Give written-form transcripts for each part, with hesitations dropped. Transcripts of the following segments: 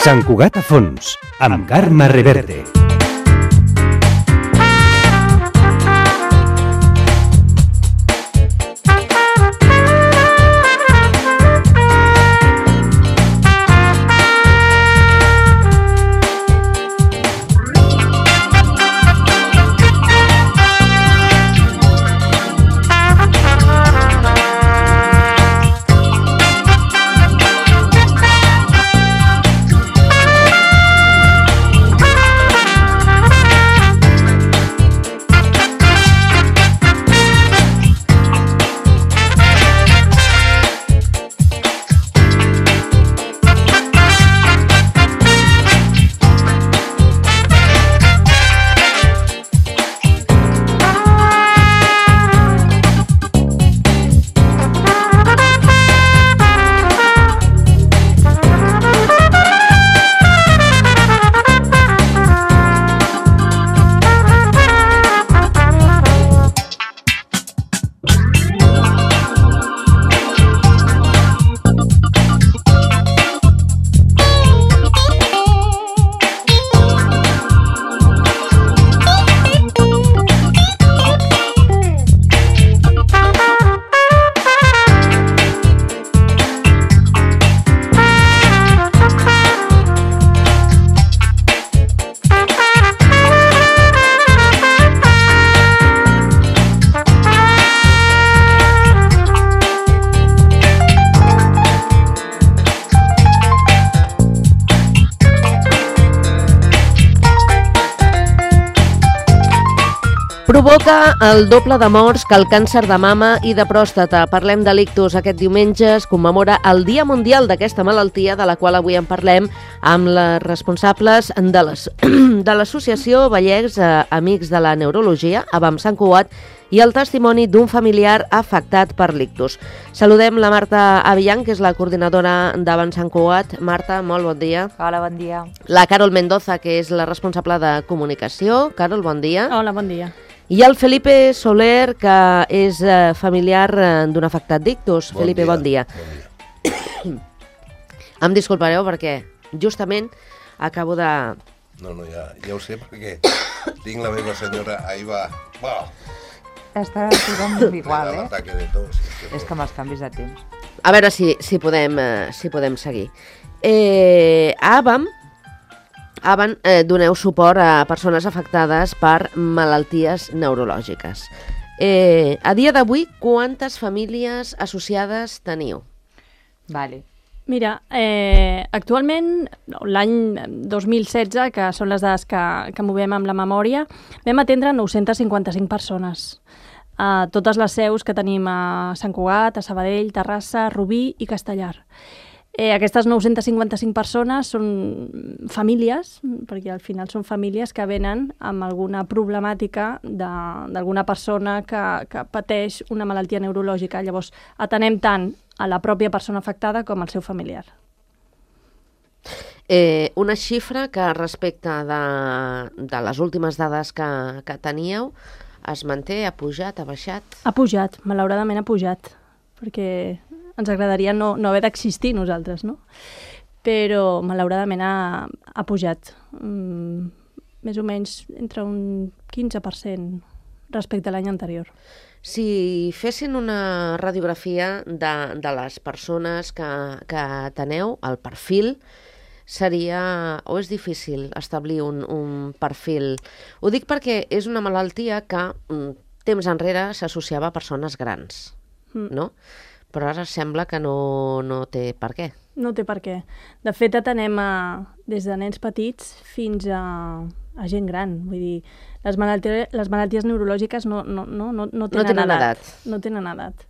Sant Cugat a fons, amb Carme Reverte. Provoca el doble de morts que el càncer de mama i de pròstata. Parlem de l'ictus. Aquest diumenge es commemora el Dia Mundial d'aquesta malaltia, de la qual avui en parlem amb les responsables de l'Associació Vallecs Amics de la Neurologia, AVAM Sant Cugat, i el testimoni d'un familiar afectat per l'ictus. Saludem la Marta Avillan, que és la coordinadora d'AVAM Sant Cugat. Marta, molt bon dia. Hola, bon dia. La Carol Mendoza, que és la responsable de comunicació. Carol, bon dia. Hola, bon dia. I el Felipe Soler, que és familiar d'un afectat d'ictus. Felipe, bon dia. Em disculpareu perquè justament acabo de... No, ja ho sé, perquè tinc la meva senyora, ahí va. Està tothom igual, l'ataque de tos. És que amb els canvis de temps. A veure si podem seguir. AVAM doneu suport a persones afectades per malalties neurològiques. A dia d'avui, quantes famílies associades teniu? Vale. Mira, actualment, l'any 2016, que són les dades que movem amb la memòria, vam atendre 955 persones. Totes les seus que tenim a Sant Cugat, a Sabadell, Terrassa, Rubí i Castellar. Aquestes 955 persones són famílies, perquè al final són famílies que venen amb alguna problemàtica d'alguna persona que pateix una malaltia neurològica. Llavors, atenem tant a la pròpia persona afectada com al seu familiar. Una xifra que respecte de les últimes dades que teníeu es manté, ha pujat, ha baixat? Ha pujat, malauradament ha pujat, perquè ens agradaria no haver d'existir nosaltres, no? Però malauradament ha pujat, més o menys entre un 15% respecte a l'any anterior. Si fessin una radiografia de les persones que teneu, el perfil, seria, o és difícil establir un perfil? Ho dic perquè és una malaltia que temps enrere s'associava a persones grans, no? Però ara sembla que no té per què. No té per què. De fet, atenem des de nens petits fins a gent gran. Vull dir, les malalties neurològiques no tenen edat. No tenen edat.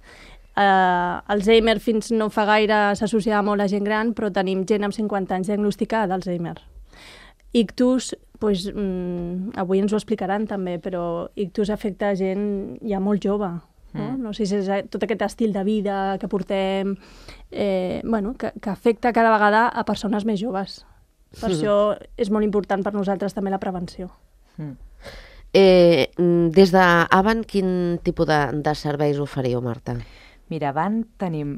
Alzheimer fins no fa gaire s'associava molt a gent gran, però tenim gent amb 50 anys diagnosticada d'Alzheimer. Ictus, avui ens ho explicaran també, però ictus afecta gent ja molt jove. No sé si és tot aquest estil de vida que portem, que afecta cada vegada a persones més joves. Per això és molt important per nosaltres també la prevenció. Des d'AVAM, quin tipus de serveis oferiu, Marta? Mira, van tenim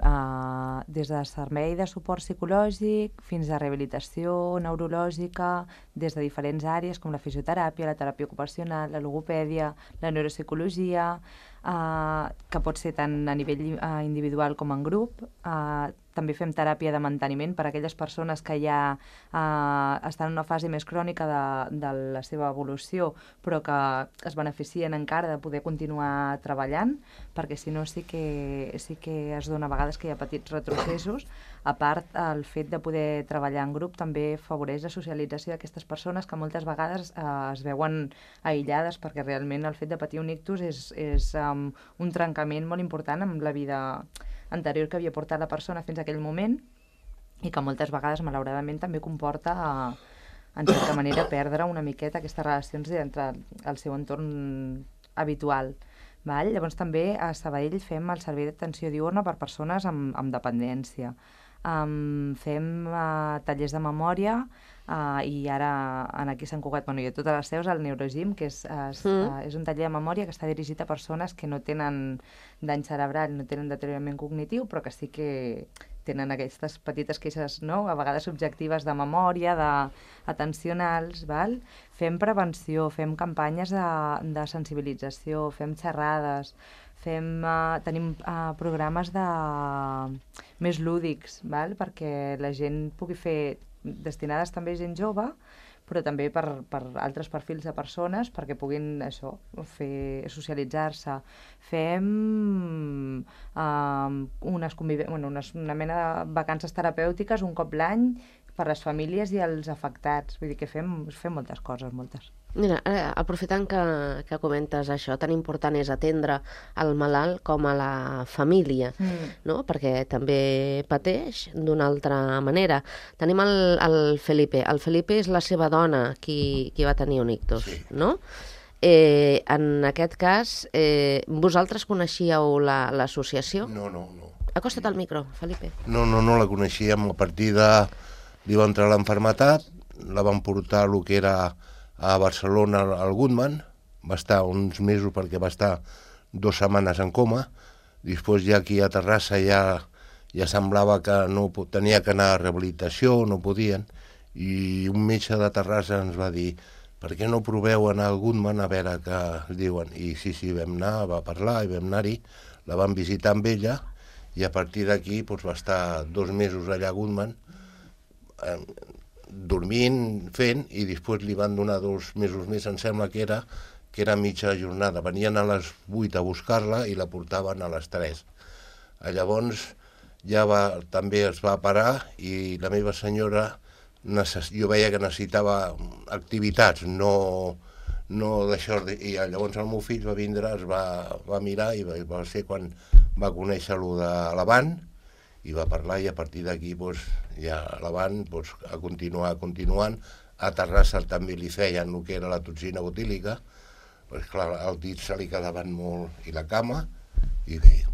des de servei de suport psicològic fins a rehabilitació neurològica, des de diferents àrees com la fisioteràpia, la teràpia ocupacional, la logopèdia, la neuropsicologia, que pot ser tant a nivell individual com en grup. També fem teràpia de manteniment per a aquelles persones que ja estan en una fase més crònica de la seva evolució, però que es beneficien encara de poder continuar treballant, perquè si no sí que es dona a vegades que hi ha petits retrocessos. A part, el fet de poder treballar en grup també afavoreix la socialització d'aquestes persones que moltes vegades es veuen aïllades, perquè realment el fet de patir un ictus és un trencament molt important amb la vida anterior que havia portat la persona fins a aquell moment i que moltes vegades, malauradament, també comporta, en certa manera, perdre una miqueta aquestes relacions entre el seu entorn habitual. Val? Llavors també a Sabadell fem el servei d'atenció diurna per persones amb dependència. Fem tallers de memòria i ara aquí a Sant Cugat, i a totes les seus, el Neurogym, que és un taller de memòria que està dirigit a persones que no tenen dany cerebral, no tenen deteriorament cognitiu, però que sí que tenen aquestes petites queixes, no?, a vegades subjectives de memòria, atencionals, val? Fem prevenció, fem campanyes de sensibilització, fem xerrades, tenim programes més lúdics, val? Perquè la gent pugui fer, destinades també a gent jove, però també per altres perfils de persones, perquè puguin socialitzar-se. Fem una mena de vacances terapèutiques un cop l'any per les famílies i els afectats. Vull dir que fem moltes coses, moltes. Mira, aprofitant que comentes això, tan important és atendre el malalt com a la família, no? Perquè també pateix d'una altra manera. Tenim el Felipe. El Felipe és la seva dona qui va tenir un ictus, sí, no? En aquest cas, vosaltres coneixíeu l'associació? No. Acosta't al micro, Felipe. No la coneixíem. A partir de... li va entrar l'enfermetat, la van portar a lo que era a Barcelona, al Goodman, va estar uns mesos perquè va estar 2 setmanes en coma. Després ja aquí a Terrassa ja semblava que no tenia que anar a rehabilitació, no podien, i un metge de Terrassa ens va dir: per què no proveu anar al Goodman a veure què es diuen? I sí, vam anar, va parlar i vam anar-hi, la vam visitar amb ella, i a partir d'aquí va estar 2 mesos allà a Goodman, dormint, fent, i després li van donar 2 mesos més, em sembla que era mitja jornada. Venien a les 8 a buscar-la i la portaven a les 3. Llavors ja també es va parar i la meva senyora, jo veia que necessitava activitats, no d'això, i llavors el meu fill va vindre, es va mirar i va ser quan va conèixer-lo de l'Avant i va parlar, i a partir d'aquí ja l'Avant ha continuant. A Terrassa també li feien el que era la toxina botílica, clar, el dit se li quedaven molt, i la cama, i bé.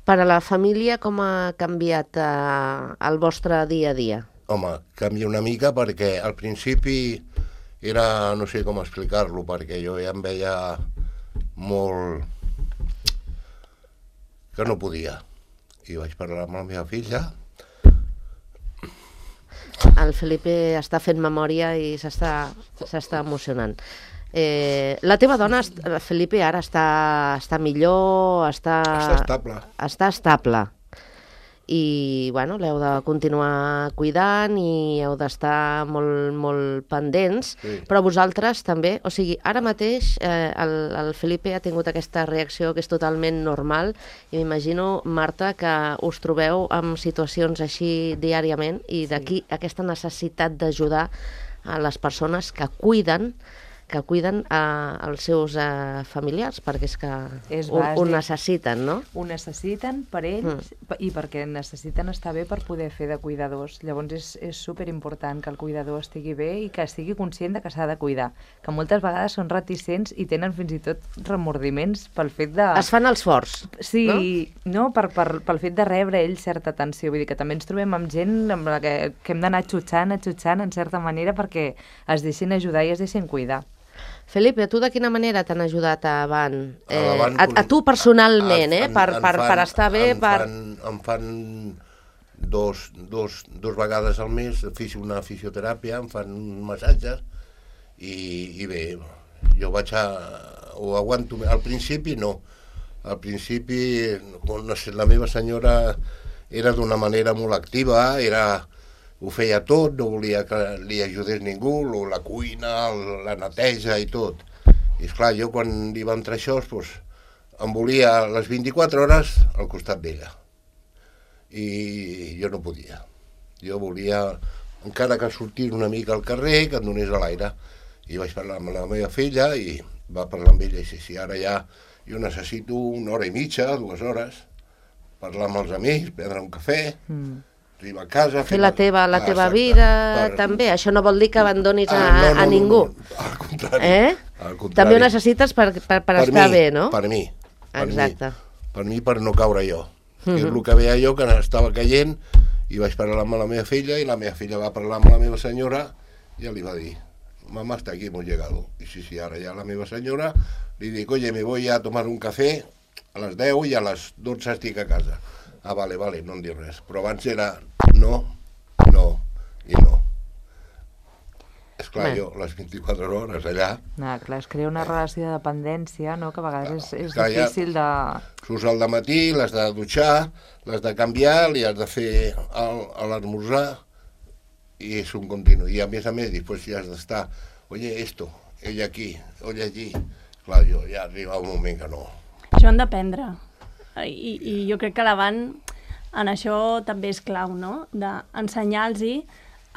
Per a la família, com ha canviat el vostre dia a dia? Home, canvia una mica perquè al principi era, no sé com explicar-lo, perquè jo ja em veia molt que no podia. I vaig parlar amb la meva filla. El Felipe està fent memòria i s'està emocionant. La teva dona, Felipe, ara està millor, està estable. Està estable. I, bueno, l'heu de continuar cuidant i heu d'estar molt, molt pendents, sí. Però vosaltres també, o sigui, ara mateix el Felipe ha tingut aquesta reacció que és totalment normal, i m'imagino, Marta, que us trobeu en situacions així diàriament, i d'aquí aquesta necessitat d'ajudar a les persones que cuiden els seus familiars, perquè és que ho necessiten, no? Ho necessiten per ells i perquè necessiten estar bé per poder fer de cuidadors. Llavors és superimportant que el cuidador estigui bé i que estigui conscient de que s'ha de cuidar, que moltes vegades són reticents i tenen fins i tot remordiments pel fet de... Es fan els forts, sí, no? Pel fet de rebre ells certa atenció. Vull dir que també ens trobem amb gent amb la que hem d'anar xutxant en certa manera perquè es deixin ajudar i es deixin cuidar. Felipe, tu de quina manera t'han ajudat a Avant? A tu personalment, per estar bé? Em fan dos vegades al mes una fisioteràpia, em fan massatges i bé, jo ho aguanto. Al principi no. Al principi, no sé, la meva senyora era d'una manera molt activa, ho feia tot, no volia que li ajudés ningú, la cuina, la neteja i tot. I esclar, jo quan li va entrar això, em volia les 24 hores al costat d'ella. I jo no podia. Jo volia, encara que sortís una mica al carrer, que em donés a l'aire. I vaig parlar amb la meva filla i va parlar amb ella i sí, ara ja jo necessito 1 hora i mitja, 2 hores, parlar amb els amics, prendre un cafè, arribar a casa... Fer la teva vida, també. Això no vol dir que abandonis a ningú. Al contrari. També ho necessites per estar bé, no? Per mi. Exacte. Per mi, per no caure jo. És el que veia jo, que estava caient, i vaig parlar amb la meva filla, i la meva filla va parlar amb la meva senyora, i ja li va dir, mamá está aquí, hemos llegado. Y sí, ahora ya la meva senyora li dic, oye, me voy a tomar un café a les 10 i a les 12 estic a casa. Ah, vale, no em diu res. Però abans era no i no. Esclar, jo les 24 hores allà... Clar, es crea una relació de dependència, no?, que a vegades és difícil de... Surts al dematí, l'has de dutxar, l'has de canviar, li has de fer l'esmorzar, i és un continu. I a més, després ja has d'estar, oye, esto, ella aquí, oye, allí... Clar, jo ja arriba un moment que no... Això han d'aprendre. I jo crec que l'Avant en això també és clau, no?, d'ensenyar-los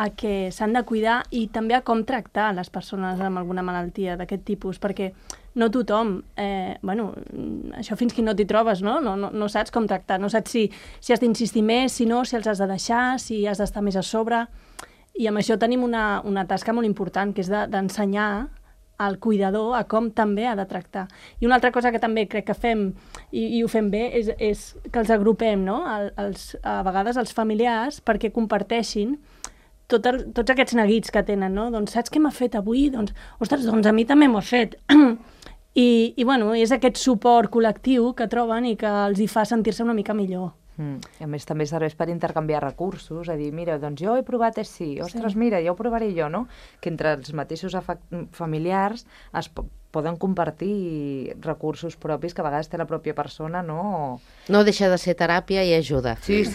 a que s'han de cuidar i també a com tractar les persones amb alguna malaltia d'aquest tipus, perquè no tothom, això fins que no t'hi trobes, no saps com tractar, no saps si has d'insistir més, si no, si els has de deixar, si has d'estar més a sobre, i amb això tenim una tasca molt important, que és d'ensenyar al cuidador a com també ha de tractar. I una altra cosa que també crec que fem, i ho fem bé, és que els agrupem, no?, a vegades els familiars, perquè comparteixin tots aquests neguits que tenen, no? Doncs saps què m'ha fet avui? Doncs, ostres, doncs a mi també m'ho ha fet. I bueno, és aquest suport col·lectiu que troben i que els hi fa sentir-se una mica millor. A més, també serveix per intercanviar recursos, a dir, mira, doncs jo he provat així, ostres, mira, ja ho provaré jo, no? Que entre els mateixos familiars es poden compartir recursos propis que a vegades té la pròpia persona, no? No deixa de ser teràpia i ajuda. Sí.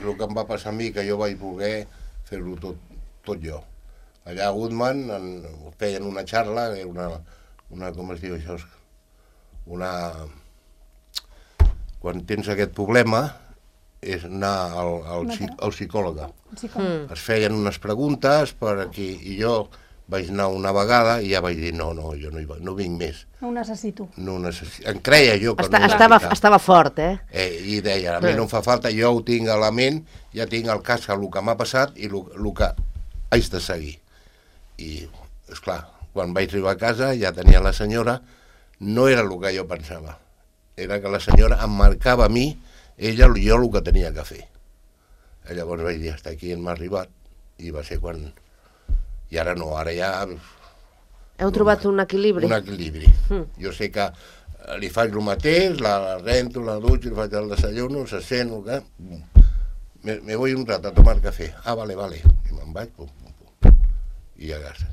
El que em va passar a mi, que jo vaig voler fer-ho tot jo. Allà a Goodman feien una xarra, una com es diu això? Quan tens aquest problema, és anar al psicòleg. Es feien unes preguntes per aquí, i jo vaig anar una vegada i ja vaig dir, no, jo no vinc més. No ho necessito. Em creia jo que no ho necessitava. Estava fort, I deia, a mi no em fa falta, jo ho tinc a la ment, ja tinc al cas el que m'ha passat i el que haig de seguir. I, esclar, quan vaig arribar a casa ja tenia la senyora, no era el que jo pensava, era que la senyora em marcava a mi, jo el que tenia que fer. Llavors vaig dir, hasta aquí m'ha arribat, i va ser quan... I ara no, ara ja... Heu trobat un equilibri? Un equilibri. Jo sé que li faig el mateix, la rento, la dutxo, li faig el desayuno, se sent, me voy un rato a tomar café. Ah, vale. I me'n vaig, pum. I a casa.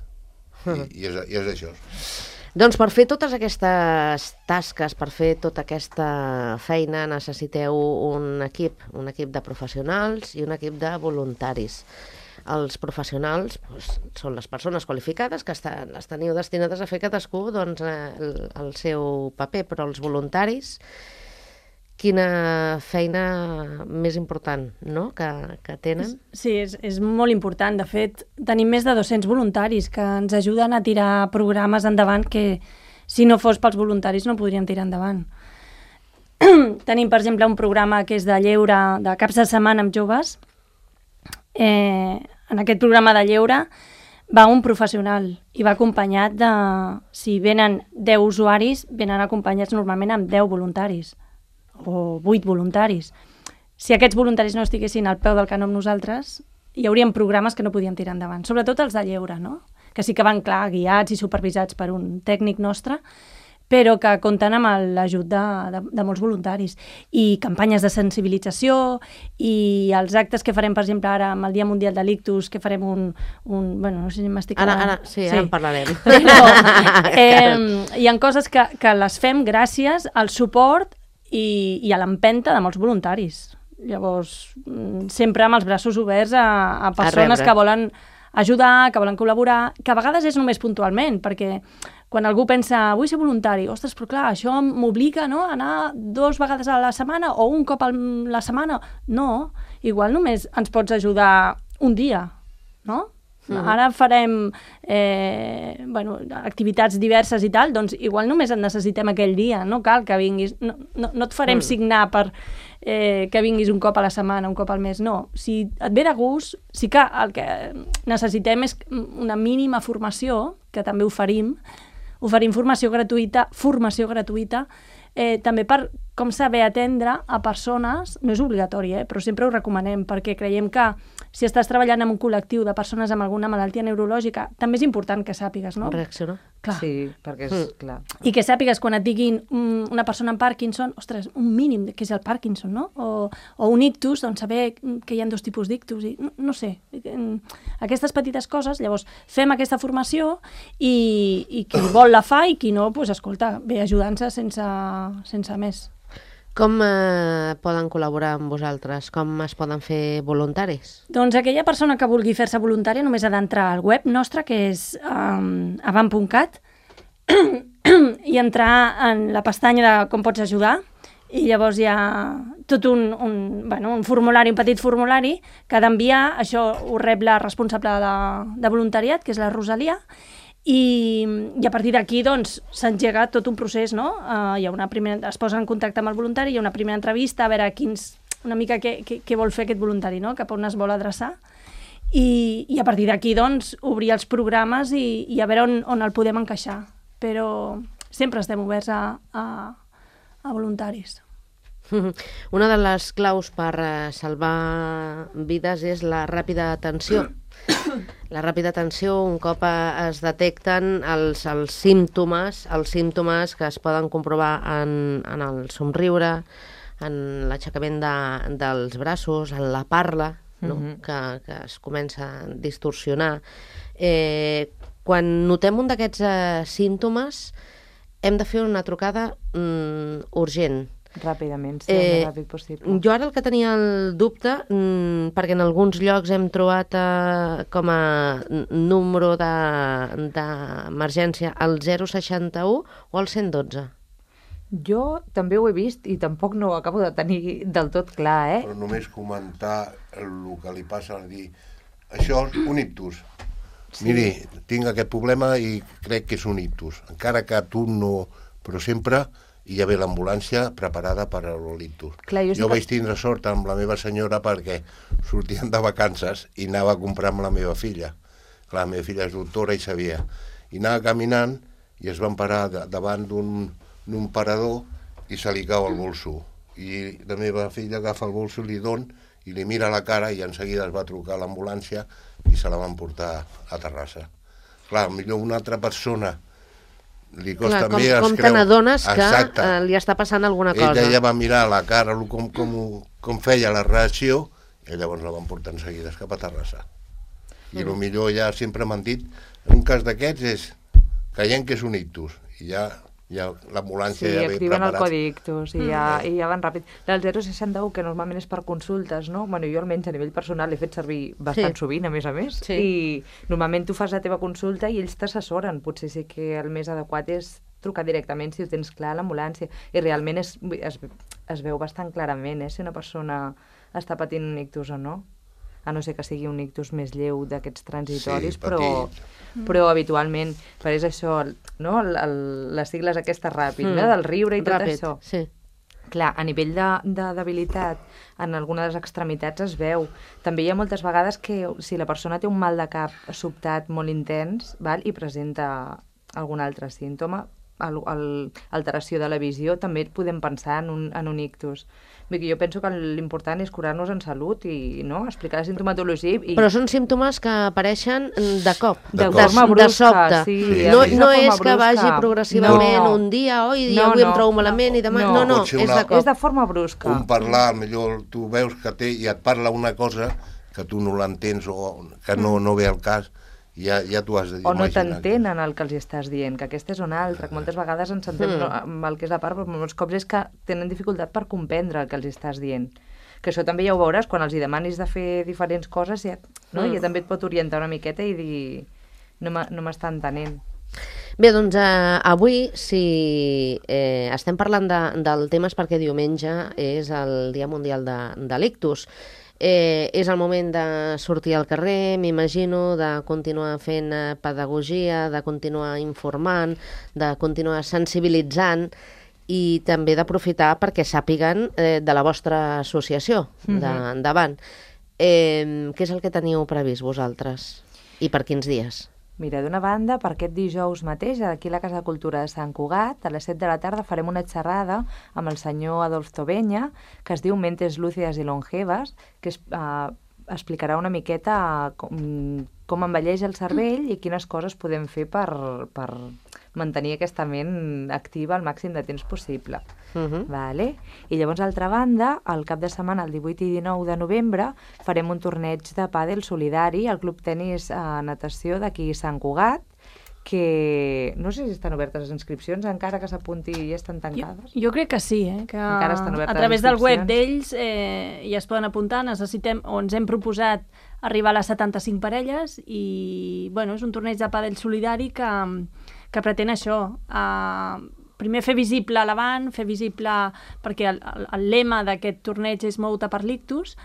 I és això. Doncs per fer totes aquestes tasques, per fer tota aquesta feina, necessiteu un equip de professionals i un equip de voluntaris. Els professionals són les persones qualificades que les teniu destinades a fer cadascú el seu paper, però els voluntaris, quina feina més important, no?, que tenen. Sí, és molt important. De fet, tenim més de 200 voluntaris que ens ajuden a tirar programes endavant que, si no fos pels voluntaris, no podríem tirar endavant. Tenim, per exemple, un programa que és de lleure, de caps de setmana amb joves. En aquest programa de lleure va un professional i va acompanyat de... Si venen 10 usuaris, venen acompanyats normalment amb 10 voluntaris o 8 voluntaris. Si aquests voluntaris no estiguessin al peu del canó amb nosaltres, hi haurien programes que no podíem tirar endavant, sobretot els de lleure, no?, que sí que van, clar, guiats i supervisats per un tècnic nostre, però que compten amb l'ajut de molts voluntaris. I campanyes de sensibilització i els actes que farem, per exemple, ara amb el Dia Mundial de l'Ictus, que farem bueno, no sé si m'estic... Ara en parlarem. Hi ha coses que les fem gràcies al suport i a l'empenta de molts voluntaris. Llavors, sempre amb els braços oberts a persones que volen ajudar, que volen col·laborar, que a vegades és només puntualment, perquè quan algú pensa, vull ser voluntari, ostres, però clar, això m'obliga, no?, a anar 2 vegades a la setmana o un cop a la setmana. No, igual només ens pots ajudar un dia, no? Ara farem activitats diverses i tal, doncs igual només et necessitem aquell dia, no cal que vinguis, no et farem signar per que vinguis un cop a la setmana, un cop al mes, no. Si et ve de gust, sí que el que necessitem és una mínima formació, que també oferim formació gratuïta, també per com saber atendre a persones, no és obligatori, però sempre ho recomanem, perquè creiem que si estàs treballant en un col·lectiu de persones amb alguna malaltia neurològica, també és important que sàpigues, no? Reaccionar. Clar. Sí, perquè és clar. I que sàpigues quan et diguin una persona amb Parkinson, ostres, un mínim que és el Parkinson, no? O un ictus, doncs saber que hi ha 2 tipus d'ictus, i no sé, aquestes petites coses. Llavors, fem aquesta formació i qui vol la fa i qui no, doncs escolta, ve ajudant-se sense més. Com poden col·laborar amb vosaltres? Com es poden fer voluntaris? Doncs aquella persona que vulgui fer-se voluntària només ha d'entrar al web nostre, que és avam.cat, i entrar en la pestanya de com pots ajudar, i llavors hi ha tot un formulari, un petit formulari, que ha d'enviar, això ho rep la responsable de voluntariat, que és la Rosalia, i a partir d'aquí doncs s'engega tot un procés, no? Es posa en contacte amb el voluntari, hi ha una primera entrevista a veure una mica què vol fer aquest voluntari, no? Cap on es vol adreçar, i a partir d'aquí doncs obrir els programes i a veure on el podem encaixar, però sempre estem oberts a voluntaris. Una de les claus per salvar vides és la ràpida atenció. La ràpida atenció, un cop es detecten els símptomes que es poden comprovar en el somriure, en l'aixecament dels braços, en la parla, no? que es comença a distorsionar. Quan notem un d'aquests símptomes, hem de fer una trucada urgent. Ràpidament, sí, el més ràpid possible. Jo ara el que tenia el dubte, perquè en alguns llocs hem trobat com a número d'emergència el 061 o el 112. Jo també ho he vist i tampoc no ho acabo de tenir del tot clar, Però només comentar el que li passa, dir, això és un ictus. Sí. Miri, tinc aquest problema i crec que és un ictus. Encara que tu no... Però sempre hi ha l'ambulància preparada per a l'ictus. Jo vaig tindre sort amb la meva senyora perquè sortien de vacances i anava a comprar amb la meva filla. Clar, la meva filla és doctora i sabia. I anava caminant i es van parar davant d'un parador i se li cau el bolso. I la meva filla agafa el bolso, li don i li mira la cara i en seguida es va trucar a l'ambulància i se la van portar a Terrassa. Clar, millor una altra persona li costa més... Com te n'adones que li està passant alguna cosa. Ella va mirar la cara, com feia la reacció, i llavors la van portar en seguida cap a Terrassa. I potser ja sempre m'han dit, en un cas d'aquests és creient que és un ictus, i ja l'ambulància ja ve preparat. Sí, activen el codi ictus i ja van ràpid. El 061, que normalment és per consultes, no? Bueno, jo almenys a nivell personal l'he fet servir bastant sovint, a més, i normalment tu fas la teva consulta i ells t'assessoren. Potser sí que el més adequat és trucar directament si ho tens clar a l'ambulància. I realment es veu bastant clarament si una persona està patint un ictus o no. A no ser que sigui un ictus més lleu d'aquests transitoris, però habitualment, però és això, no? Les sigles aquestes ràpid, del riure i tot això. Sí. Clar, a nivell de debilitat, en alguna de les extremitats es veu. També hi ha moltes vegades que si la persona té un mal de cap sobtat molt intens i presenta algun altre símptoma, alteració de la visió, també podem pensar en un ictus. Jo penso que l'important és curar-nos en salut i explicar la sintomatologia. Però són símptomes que apareixen de cop, de sobte. No és que vagi progressivament un dia, avui em trobo malament i demà... No, és de cop. És de forma brusca. Un parlar, millor tu veus que té i et parla una cosa que tu no l'entens o que no ve al cas, ja t'ho has de dir. O no t'entenen el que els estàs dient, que aquesta és una altra, que moltes vegades ens sentem amb el que és la part, però molts cops és que tenen dificultat per comprendre el que els estàs dient. Que això també ja ho veuràs, quan els demanis de fer diferents coses, ja també et pot orientar una miqueta i dir no m'està entenent. Bé, doncs avui, si estem parlant del tema, és perquè diumenge és el Dia Mundial de l'Ictus. És el moment de sortir al carrer, m'imagino, de continuar fent pedagogia, de continuar informant, de continuar sensibilitzant i també d'aprofitar perquè sàpiguen de la vostra associació d'Avant. Què és el que teniu previst vosaltres i per quins dies? Mira, d'una banda, per aquest dijous mateix, aquí a la Casa de Cultura de Sant Cugat, a les 7 de la tarda farem una xerrada amb el senyor Adolf Tobenya, que es diu Mentes Lúcides i Longevas, que explicarà una miqueta com envelleix el cervell i quines coses podem fer per mantenir aquesta ment activa al màxim de temps possible. Vale? I llavors, d'altra banda, el cap de setmana, el 18 i 19 de novembre, farem un torneig de pàdel solidari al Club Tenis Natació d'aquí Sant Cugat, que no sé si estan obertes les inscripcions, encara que s'apunti i estan tancades. Jo crec que sí, que encara estan obertes a través del web d'ells ja es poden apuntar, ens hem proposat arribar a les 75 parelles i és un torneig de pàdel solidari que pretén això, primer fer visible l'Avant, fer visible, perquè el lema d'aquest torneig és Mou-te per l'ictus,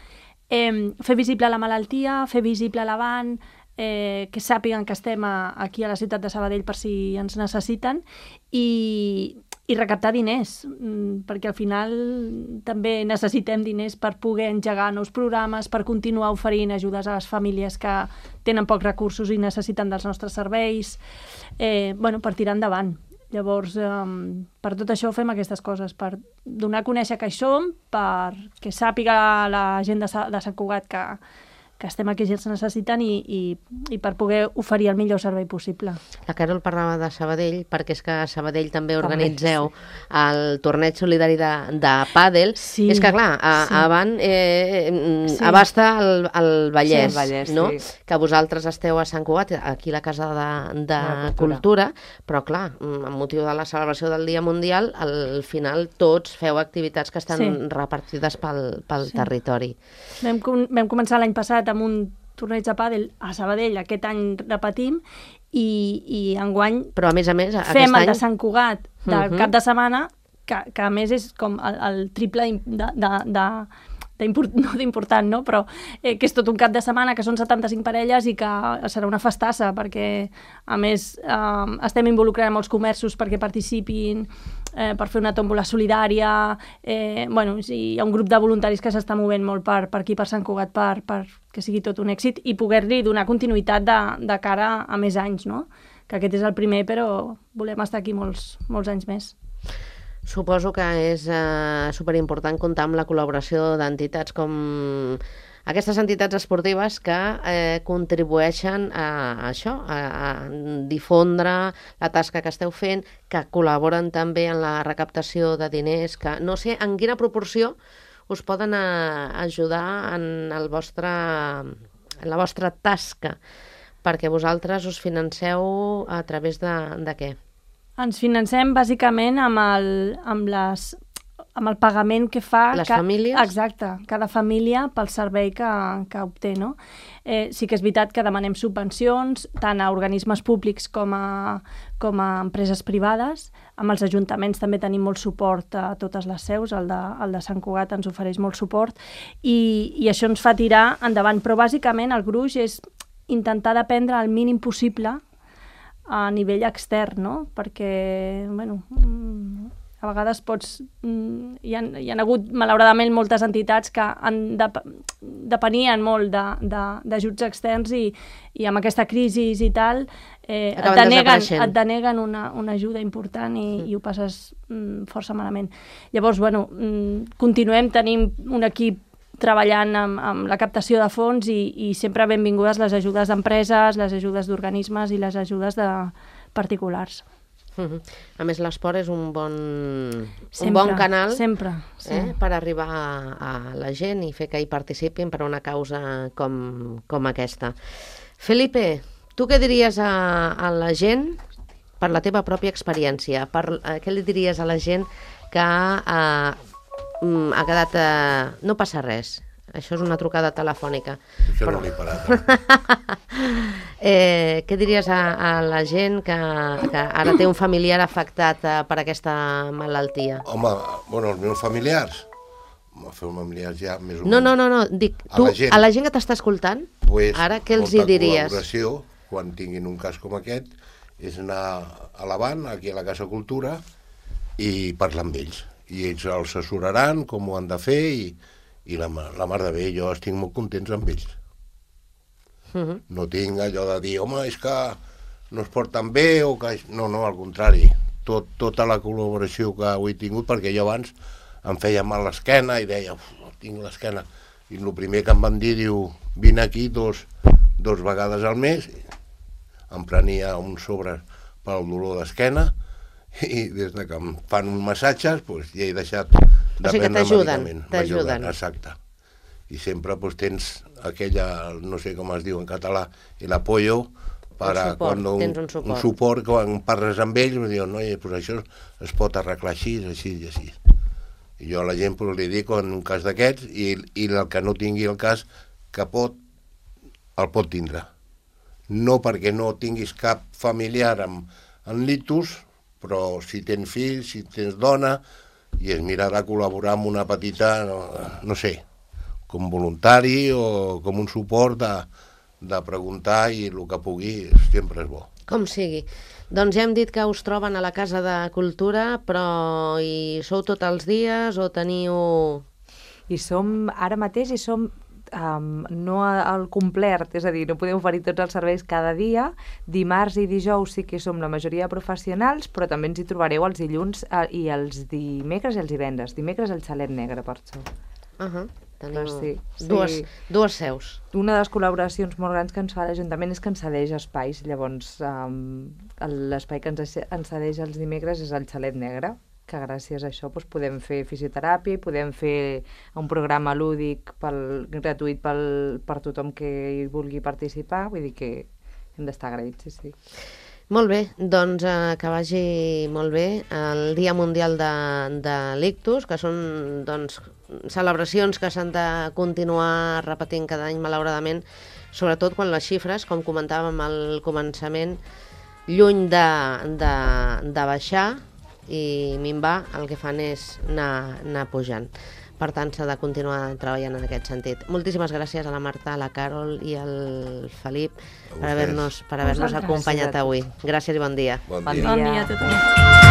fer visible la malaltia, fer visible l'Avant, que sàpiguen que estem aquí a la ciutat de Sabadell per si ens necessiten i recaptar diners, perquè al final també necessitem diners per poder engegar nous programes, per continuar oferint ajudes a les famílies que tenen pocs recursos i necessiten dels nostres serveis, per tirar endavant. Llavors, per tot això fem aquestes coses, per donar a conèixer que hi som, perquè sàpiga la gent de Sant Cugat que estem aquí si els necessiten i per poder oferir el millor servei possible. La Carol parlava de Sabadell, perquè és que a Sabadell també organitzeu el torneig solidari de pàdel. Sí. És que, clar, Avant abasta el Vallès, no? Que vosaltres esteu a Sant Cugat, aquí a la Casa de Cultura, però, clar, amb motiu de la celebració del Dia Mundial, al final tots feu activitats que estan repartides pel territori. Vam començar l'any passat amb un torneig de pàdel a Sabadell, aquest any repetim, i enguany però a més, fem el de Sant Cugat del cap de setmana, que a més és com el triple d'important, no? Però que és tot un cap de setmana, que són 75 parelles i que serà una festassa, perquè a més estem involucrant molts comerços perquè participin, per fer una tòmbola solidària, hi ha un grup de voluntaris que s'està movent molt per aquí, per Sant Cugat, per que sigui tot un èxit i poder-li donar continuïtat de cara a més anys, no? Que aquest és el primer, però volem estar aquí molts anys més. Suposo que és superimportant comptar amb la col·laboració d'entitats com aquestes entitats esportives que contribueixen a això, a difondre la tasca que esteu fent, que col·laboren també en la recaptació de diners, que no sé en quina proporció us poden ajudar en la vostra tasca, perquè vosaltres us financeu a través de què? Ens financem bàsicament amb el pagament que fa... Les famílies? Exacte, cada família pel servei que obté, no? Sí que és veritat que demanem subvencions tant a organismes públics com a empreses privades. Amb els ajuntaments també tenim molt suport a totes les seus, el de Sant Cugat ens ofereix molt suport i això ens fa tirar endavant. Però bàsicament el gruix és intentar dependre el mínim possible a nivell extern, no? Perquè, A vegades hi ha hagut, malauradament, moltes entitats que depenien molt d'ajuts externs i amb aquesta crisi i tal et deneguen una ajuda important i ho passes força malament. Llavors, continuem, tenim un equip treballant amb la captació de fons i sempre benvingudes les ajudes d'empreses, les ajudes d'organismes i les ajudes de particulars. A més, l'esport és un bon canal per arribar a la gent i fer que hi participin per a una causa com aquesta. Felipe, tu què diries a la gent per la teva pròpia experiència? Què li diries a la gent que ha quedat... No passa res, això és una trucada telefònica. Això no l'he parat. Què diries a la gent que ara té un familiar afectat per aquesta malaltia? Home, els meus familiars ja més o menys. No, dic, tu, a la gent que t'està escoltant, ara què els hi diries? Molta col·laboració, quan tinguin un cas com aquest, és anar a l'Avant, aquí a la Casa Cultura, i parlar amb ells. I ells els assessoraran com ho han de fer i la mar de bé, jo estic molt contents amb ells. No tinc allò de dir, home, és que no es porten bé o que... No, al contrari. Tota la col·laboració que ho he tingut, perquè jo abans em feia mal l'esquena i deia, tinc l'esquena. I el primer que em van dir, diu, vine aquí dos vegades al mes, em prenia un sobre pel dolor d'esquena i des que em fan uns massatges ja he deixat de prendre medicament. T'ajuden. Exacte. I sempre tens aquella, no sé com es diu en català, l'apoyo, un suport, quan parles amb ells, diuen, no, això es pot arreglar així i així. I jo a la gent li dic, en un cas d'aquests, i el que no tingui el cas, que el pot tindre. No perquè no tinguis cap familiar amb ictus, però si tens fills, si tens dona, i es mira de col·laborar amb una petita, no sé, com voluntari o com un suport de preguntar i el que pugui sempre és bo. Com sigui. Doncs ja hem dit que us troben a la Casa de Cultura, però hi sou tots els dies o teniu... Ara mateix som no al complet, és a dir, no podem oferir tots els serveis cada dia. Dimarts i dijous sí que som la majoria de professionals, però també ens hi trobareu els dilluns i els dimecres i els divendres. Dimecres el Xalet Negre, per això. Tenim dues seus. Una de les col·laboracions molt grans que ens fa l'Ajuntament és que ens cedeix espais. Llavors, l'espai que ens cedeix els dimecres és el Xalet Negre, que gràcies a això podem fer fisioteràpia i podem fer un programa lúdic gratuït per tothom que hi vulgui participar. Vull dir que hem d'estar agraïts, sí. Molt bé, doncs que vagi molt bé el Dia Mundial de l'Ictus, que són celebracions que s'han de continuar repetint cada any, malauradament, sobretot quan les xifres, com comentàvem al començament, lluny de baixar i minvar, el que fan és anar pujant. Per tant, s'ha de continuar treballant en aquest sentit. Moltíssimes gràcies a la Marta, a la Carol i al Felip per haver-nos acompanyat avui. Gràcies i bon dia. Bon dia. Bon dia a tothom.